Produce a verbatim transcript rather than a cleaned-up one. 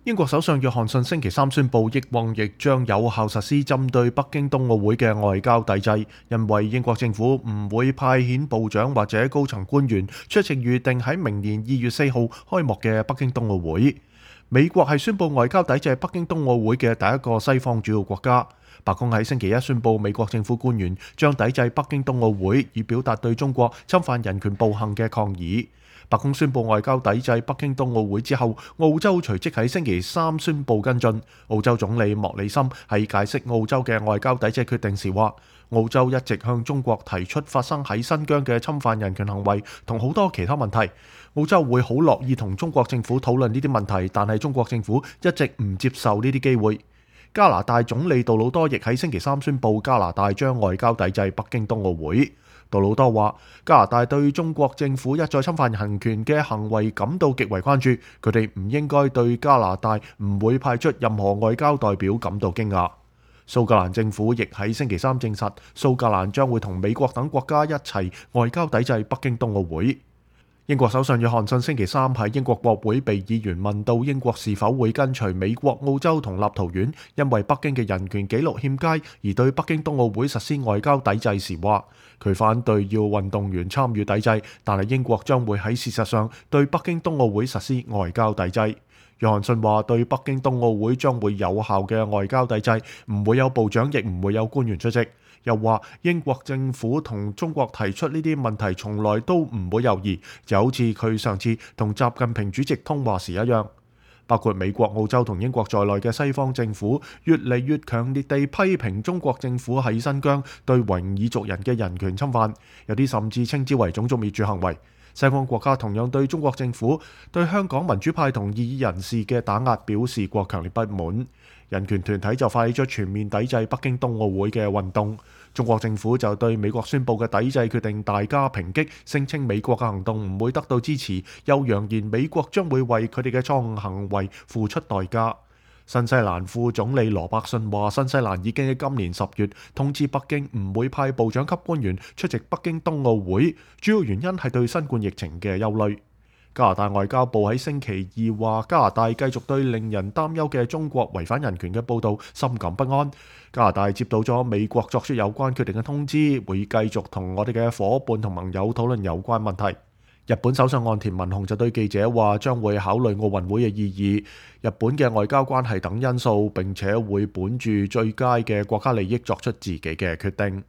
英國首相約翰遜星期三宣布，抑或亦將有效實施針對北京冬奧會嘅外交抵制，因為英國政府唔會派遣部長或者高層官員出席預定喺明年二月四號開幕嘅北京冬奧會。美國係宣布外交抵制北京冬奧會嘅第一個西方主要國家。白宮喺星期一宣布，美國政府官員將抵制北京冬奧會，以表達對中國侵犯人權暴行嘅抗議。白宮宣布外交抵制北京冬奧會之後，澳洲隨即喺星期三宣布跟進。澳洲總理莫里森喺解釋澳洲嘅外交抵制決定時話，澳洲一直向中國提出發生喺新疆嘅侵犯人權行為同好多其他問題。澳洲會好樂意同中國政府討論呢啲問題，但係中國政府一直唔接受呢啲機會。加拿大總理杜魯多亦喺星期三宣布，加拿大將外交抵制北京冬奧會。杜魯多話，加拿大對中國政府一再侵犯人權嘅行為感到極為關注，佢哋唔應該對加拿大唔會派出任何外交代表感到驚訝。蘇格蘭政府亦喺星期三證實，蘇格蘭將會同美國等國家一齊外交抵制北京冬奧會。英國首相約翰遜星期三喺英國國會被議員問到英國是否會跟隨美國、澳洲同立陶宛因為北京嘅人權紀錄欠佳而對北京冬奧會實施外交抵制時，話佢反對要運動員參與抵制，但係英國將會喺事實上對北京冬奧會實施外交抵制。約翰遜話對北京冬奧會將會有效嘅外交抵制，唔會有部長亦唔會有官員出席。又話英國政府同中國提出呢啲問題從來都唔會猶豫，就好似佢上次同習近平主席通話時一樣。包括美國、澳洲同英國在內嘅西方政府越嚟越強烈地批評中國政府喺新疆對維吾爾族人嘅人權侵犯，有啲甚至稱之為種族滅絕行為。西方國家同樣對中國政府對香港民主派同異議人士嘅打壓表示過強烈不滿。人權團體就發起咗全面抵制北京冬奧會嘅運動。中國政府就對美國宣布嘅抵制決定大加抨擊，聲稱美國嘅行動唔會得到支持，又揚言美國將會為佢哋嘅錯誤行為付出代價。新西蘭副總理羅伯遜話，新西蘭已經喺今年十月通知北京唔會派部長級官員出席北京冬奧會，主要原因係對新冠疫情嘅憂慮。加拿大外交部喺星期二話，加拿大繼續對令人擔憂嘅中國違反人權嘅報導深感不安。加拿大接到咗美國作出有關決定嘅通知，會繼續同我哋嘅夥伴同盟友討論有關問題。日本首相岸田文雄就對記者話，將會考慮奧運會嘅意義、日本嘅外交關係等因素，並且會本住最佳嘅國家利益作出自己嘅決定。